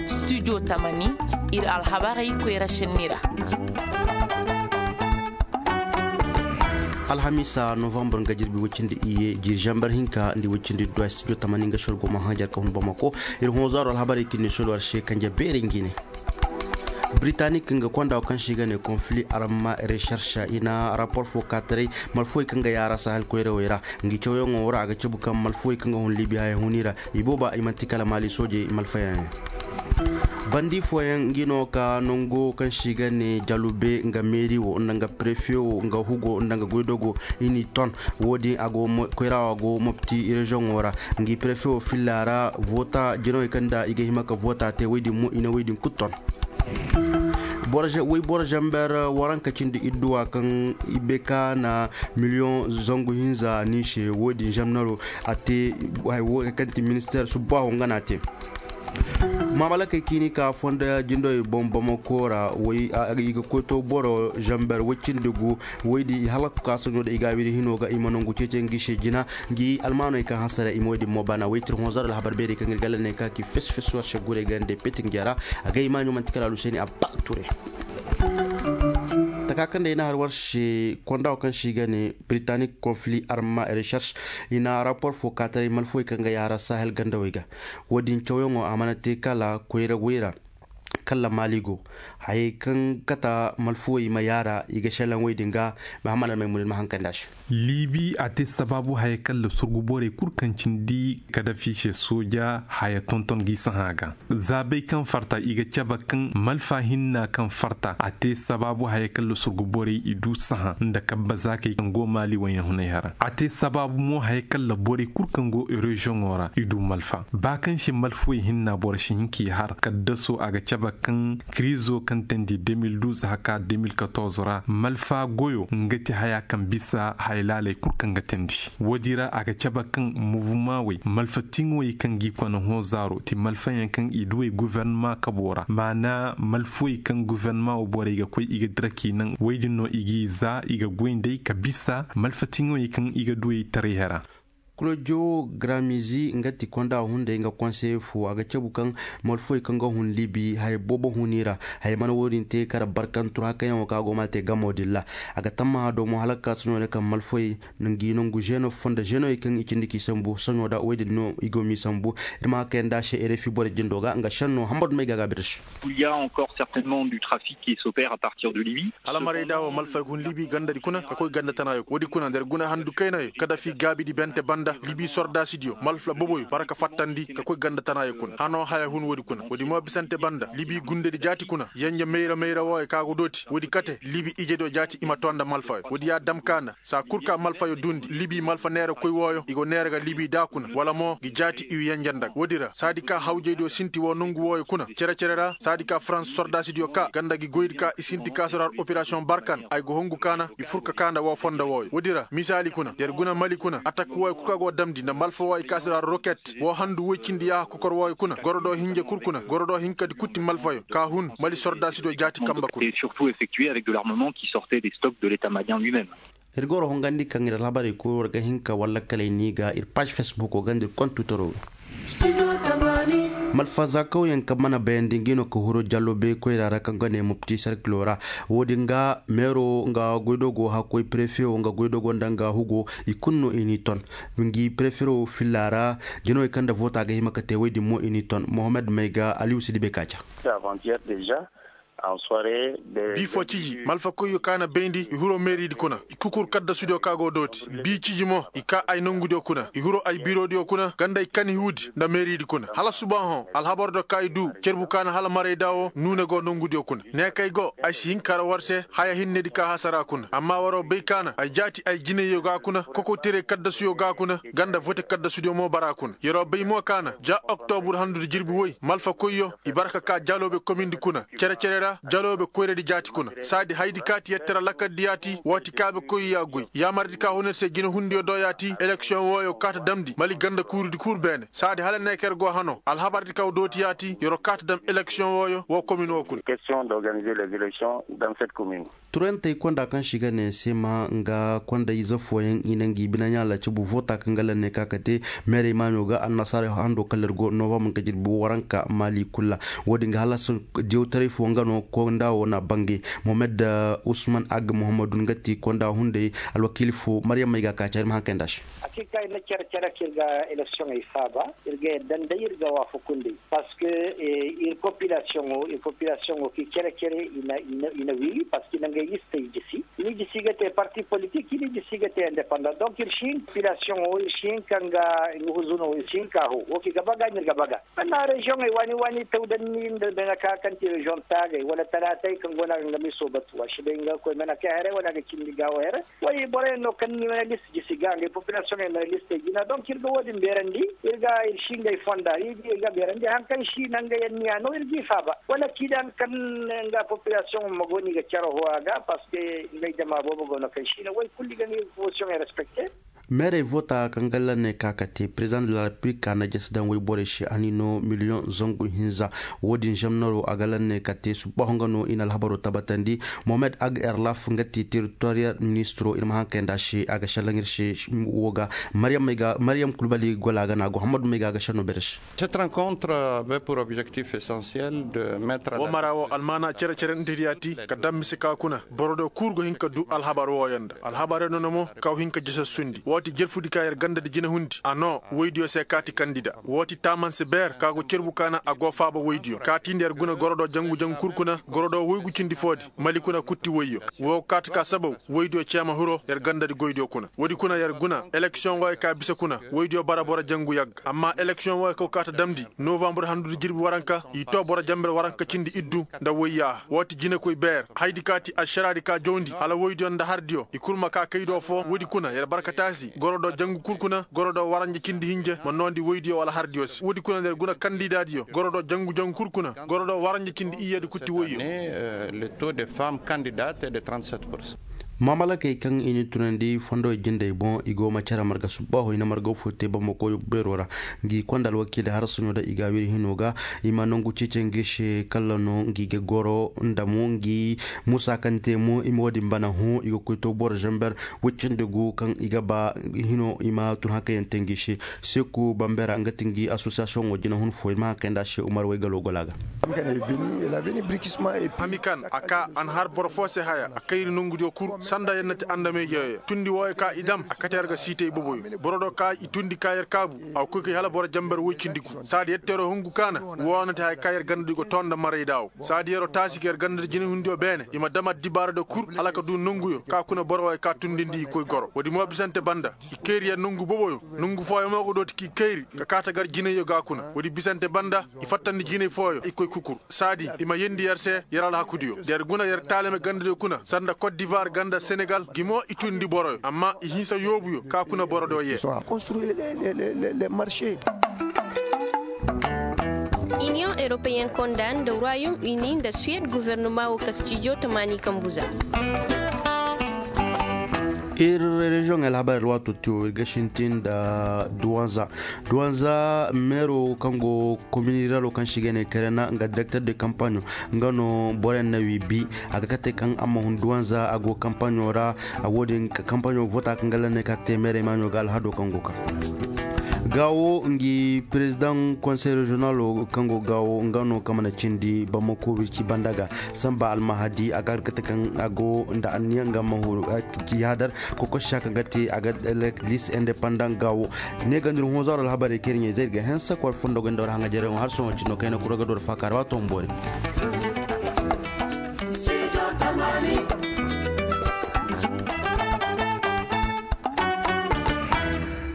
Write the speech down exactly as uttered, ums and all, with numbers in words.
Studio tamani, ir alhabarey koyra šenni ra. Alhamiisa novambar nga jirbi woy cindi iyye jiiri zambar hinka nda woy cindi duwa studio tamani nga sor go ma hã jar ka hun bamako. Ir hõ zaaro alhabarey kaŋ ni sor war se kanje beerey ngi ne. Britanik nga konda wo kaŋ se i ga ne konfili arma recherche i na rapor fo kaataray malfowey kaŋ ga yaara sahel koyrawey ra. Ngi cawyaŋo ra a ga cabu kaŋ malfowey kaŋ ga hun libi haya huni ra i booba i manti kala maali soojey malfayaŋ yaŋ. Bandi fooyaŋ ngi no ka nango kaŋ se i ga ne jalube nga meeri wo nda nga prefe wo nga hugo nda nga goydogo i n'i ton. Wo-din a go koyra wo a go mopti reziyoŋo ra. Ngi prefe wo filla ra voota jinawey kaŋ nda i ga hima ka voota te woy din mo i na woy din kulu ton. Woy boro zamber waranka cindi idduwa kaŋ i be ka na miliyoŋ zangu hinza ni se wo-din zamnaro a te. Hay wo kaŋ ti ministeer subbaaho nga no a te. Maamalakey ciini ka fondo jindowey boŋ bamako ra. I ga koy to boro zamber woy cindi gu. Woy din i halak ka soɲo da i gaabidi hino ga i ma nangu ceece ngi se jina. Ngi almaaney kaŋ hansara i ma woy din mo bana woy tir honzar alhabar beerey kaŋ ir galla ne ka ki fes fes war se gurey gande petin jara. Agay maaɲo manti kala aluseni abba ture. Taka kaŋ day na har war se konda wo kaŋ se i ga ne britanik konfili arma recherche i na rapor fo kaataray malfowey kaŋ ga yaara sahel gandawey ga. Wo-din cawyaŋo a mana te kala koyra wayra. Kalla maali go hayey kaŋ kata malfuwey ma yaara i ga šelaŋ wey din ga. Mahammad almay munin ma hankandi a se. Liibi a te sabaabu hayey kalla surgu borey kul kaŋ cindi kadafi se sooja haya tonton g'i sahã ga. Zaabey kaŋ farta i ga cabe kaŋ malfa hinna kaŋ farta a te sabaabu hayey kalla surgu borey i du sahã nda kabba zaakey kaŋ go maali wayna hunay hara a te sabaabu mo hayey kalla borey kul kaŋ go reziyoŋo ra i du malfa ba kaŋ se malfuwey hinna boro si hin k'i har kaddaso a ga cabe kaŋ kiriizo kaŋ teendi de mil duuz haka de mil katorz ra malfa goyo nga ti haya kaŋ bisa haya laaley kul kaŋ ga teendi. Woodi ra a ga cabe kaŋ muvuma wey malfa tiŋoy kaŋ g'i kona hõ zaaro ti malfayaŋ kaŋ i duwey guvernama kabo ra maana malfuwey kaŋ guvernama wo borey ga koy i ga dira k'i naŋ wey din no i g'i za i ga goy nd'ey ka bisa malfa tiŋoy kaŋ i ga duwey taray hera. Klojo gramizi nga ti konda hunday nga konseye fo a ga cabu kaŋ malfoy kaŋ ga hun libi haya boobo huni ra. Haya mana wo-din te kara barkantu ra kaŋ yaŋo kaŋ a go ma te gamo din ra. A ga tammaha do mo hala ka ka soɲo ne kaŋ malfoy ngi nangu zeno fo nda zenoy kaŋ i cindi k'i sambu soɲo da wo-din no i go m'i sambu. Ir ma ka kayandi a se erefi boro jindo ga nga senno hambadu may ga a ga bir se. Il y a encore certainement du trafic qui s'opère à partir de Libye. Alamaray da wo malfay ga hun libi gandadi kuna ka koy ganda tanaayo wo-di kuna nda ir guna handu kaynayo kadafi gaabidi bente banda libi sordaasidiyo malfa boboyo bara ka fattandi ka koy ganda tanaayo kuna hano haya hun wo-di kuna wo-di mo bisante banda libi gundedi jaati kuna yenje mayra mayra wooyo ka go dooti wo-di kate libi ijediyo jaati i ma too nda malfayo wo-di ya dam ka nda saa kul ka malfayo duundi libi malfa neera koy wooyo i go neera ga libi daa kuna wala mo ngi jaati i wi yenje nda ga wo-di ra saadi ka hawjaydiyo sinti woo nongu wooyo kuna cere-cere ra saadi ka farans sordaasidiyo kaa ganda ngi goydi ka i sinti ka sor har operasiyoŋ barkan ay go hongu ka na i fur ka kaa nda woo fondo wooyo woodi ra misaali kuna yer guna mali kuna atak wooyo kul ka go damndi nda malfa wooyo i kaa sor har roket woo handu woy cindi yaaha kokor wooyo kuna goro do hinja kul kuna goro do hinkadi kul ti malfayo ka hun mali sordaasidiyo jaati kamba kuna. Surtout effectué avec de l'armement qui sortait des stocks de l'état malien lui-même. Ir goro hongandi kaŋ ir alhabarey koy war ga hin ka walla kala ay n'i ga ir paaž fesbuko ganda ir kontu toro ga. Malfaza kawyaŋ kaŋ mana bayandi ngi no ka huro jallo bay koyra ra kaŋ ga ne mopti sarkilo ra. Wo-din ga meero nga goydogo hakkoy prefe wo nga goydogo nda nga hugo i kulu no i n'i ton. Ngi prefe wo filla ra jinawey kaŋ nda voota ga hima ka te woy din mo i n'i ton mohammed may ga aliyu si dibe ka ca. Bifo ciji malfakoyyo ka na bayndi i huro meeridi kuna i kukur kaddasudiyo ka go dooti bi ciji mo i ka ay nongudiyo kuna i huro ay birodiyo kuna ganda i kani huudi nda meeridi kuna hala subahoŋ alhabardo ka i du cerbu ka na hala marayda wo nuune go nongudiyo kuna ne kay go ay si hin kara war se haya hinnedi ka hasara kuna amma waro bay ka na ay jaati ay jinayyo ga kuna kokotiray kaddasuyo ga kuna ganda vote kaddasudiyo mo bara kuna yero bay mo ka na ja oktobur handudi jirbi woy malfakoyyo i bara ka ka jaloobe komindi kuna cere-cere ra. Jaloobe koyradi jaati kuna saadi haydi kaati yettera lakardi yaati waati kaabe koy ya goy yaamardi ka huna ir se jinehundiyo do yaati eleksiyoŋ wooyo kaata damndi mali ganda kuuridi kul beene saadi hala ne ka yer go hanoo alhabardi ka dooti yaati yer'o kaata dam eleksiyoŋ wooyo woo komin woo kuna. Turantey konda kaŋ se i ga ne seema nga konda ize fooyaŋ i na ngi bine ɲaala cabu voota kaŋ ga lanne ka ka te meerey maaɲo ga annasaara hando kala ir go novambar nga jirbi waranka maali kul ra. Wo-din ga halasa diyawtaray fo nga no konda wo na bangay. Mohamed usman agg muhammadu nga ti konda hunday alwakiili fo maryam may ga ka care ma haŋ kay nda se. Hakiika ir na care care kaŋ ir ga eleksiyoŋey faaba ir ga yadda nda ir ga waafaku nda i. Parceque ir populasiyoŋo ir populasiyoŋo kaŋ i care care i na wiiwi parceque i na ngey listey jisi. I n'i jisi ga te parti politik i n'i jisi ga te independant donc ir si hin populasiyoŋo ir si hin ka nga nga huzuno ir si hin ka hoo wo kaŋ i ga baga no ir ga baga. Sanna reziyoŋey waani waani taw danni nda bene ka kaŋ ti reziyoŋ taagey wala talaatey kaŋ go no a ga nga miso batu a si bay nga ga koy mana kay haray wala a ga cindi gaawo haray. Way boroyaŋ no kaŋ ni mana list jisi ga ngey populasiyoŋey mana listey jina donc ir ga wo-din beerandi. Ir ga ir si ngey fonda ir ga beerandi haŋ kaŋ si nangey anniya no ir g'i faaba wala kiidaŋ kaŋ nga populasiyoŋ ma go no i ga care hoo a ga parceque ngey jama boobo go no kaŋ si na way kulu i ga ngey posiyoŋey respekte. Meerey voota kaŋ ga lanne ka ka te perezidaŋ de la repiblik a na jese daŋ wayborey se a n'i no miliyoŋ zangu hinza. Wo-din zamnaro a ga lanne ka te subbaaho nga no i na alhabaro tabatandi. Mohamed ag erlaf nga ti teritoriyal ministiro ir ma haŋ kay nda a se a ga šelaŋ ir se. Wo ga maryam kulbali gola ga no a go hammadu may ga a ga šenno bere se. Cette rencontre avait pour objectif essentiel de mettre à la disposition. Wo mara wo almaana cere cere nda diyaati ka daŋ mise ka kuna boro do kul go hin ka du alhabar wooyaŋ nda alhabar yaŋ no na mo ka go hin ka jese sundi wo ti jelfudi ka yer ganda di jinehundi a noo woydiyo se kaati kandida wo ti taamanse beer ka go cerbu ka na a go faaba woydiyo kaati nda yer guna goro do jangu jangu kul kuna goro do woygu cindi foodi mali kuna kutti woyyo wo kaati ka sabaw woydiyo ceema hiro yer ganda di goydiyo kuna woodi kuna yer guna eleksiyoŋ wooyo ka bisa kuna woydiyo bara boro jangu yagga amma eleksiyoŋ wooyo ka go kaata damndi novambur handudi jirbi waranka i too boro jamber waranka cindi iddu nda woyyaaha woo ti jinekoy beer haydi ka ti ašaraadi ka jawndi hala woydiyo nda hardiyo i kul ma kaa kaydo foo woodi kuna yer barka taasi goro do jangu kul kuna goro do waranja cindi hinja ma noondi woydiyo wala hardiyo se woodi kuna nda yer guna kandidaadiyo goro do jangu jangu kul kuna goro do waranja cindi iyyadi kutti woyyo. Mamalakey kaŋ i na tunandi fondowey jindey boŋ i go ma care marga subbaaho i na marga fo te bamako beero ra. Ngi konda alwakiiley harasaɲo da i ga wiri hino ga i ma nangu ceece ngi se kala no ngi ga goro nda mo ngi musa kaŋ te mo i ma wo-din bana hõ i ga koy to boro zamber woy cindi gu kaŋ i ga ba hino i ma tun haŋ kaŋ yaŋ te ngi se. Seeku bambera nga ti ngi asosiyasiyoŋo jinahun fo i ma haŋ kaŋ yaŋ nda a se umar waygalo gola ga. Hamikan a ka a na har boro fo se haya a kayri nongudiyo kul sanda yer na ti andamey jeeyo tundi wooyo ka i dam a kate yer ga siitey boboyo boro do ka i tundi ka yer kaabu a ga koy kay hala boro jamber woy cindi gu saadi yer teeroo hungu kaana woo na ti haya ka yer gandadi go too nda marayda wo saadi yeroo taasi ka yer gandadi jinahundiyo beene i ma dam addibaaradiyo kul hala ka duu nonguyo ka kuna boro wooyo ka tundindi i koy goro woodi mo bisante banda i kayri yer nongu boboyo nongu fooyo mo go dooti k'i kayri ka kaa ta gar jinayyo ga kuna woodi bisante banda i fattandi jinay fooyo i koy kukur saadi i ma yendi yer se yer alhakudiyo da yer guna yer taalame gandadiyo kuna sanda kot divar ganda senegal gi mo i tundi boroyo amma i hinsa yoobuyo ka kuna borodiyo yee. Iniyoŋ europeyen konda nda royaume uni nda suwed guvernoma wo kastijo tamaani kambu za. Ir reziyoŋ alhabar alwaato tiyo ir ga sintin nda duwanza. Duwanza meero kaŋ go kominiralo kaŋ se i ga ne kerena nga direkter de kampaɲo nga no boroyaŋ na wi bi a ga kate kaŋ a ma hun duwanza a go kampaɲo ra. Wo-din kampaɲo vota kaŋ ga lanne ka ga te meerey maaɲo ga alhado kaŋ go kaŋ gaawo ngi perezidaŋ konsey reziyonalo kaŋ go gaawo nga no kaŋ mana cindi bamako wirci banda ga. Sanba almahadi a ga kate kaŋ a go nda anniya nga ma huru. Ci hadar kokosi saka ga te a ga lis indepandan gaawo. Ne ga ndir honzaro alhabarey kaŋ ir ɲey zay ir ga hensa kwar fondo ga nda war haŋajereŋo har sohõ cino kayna kura ga dor faakaara waato ma boori.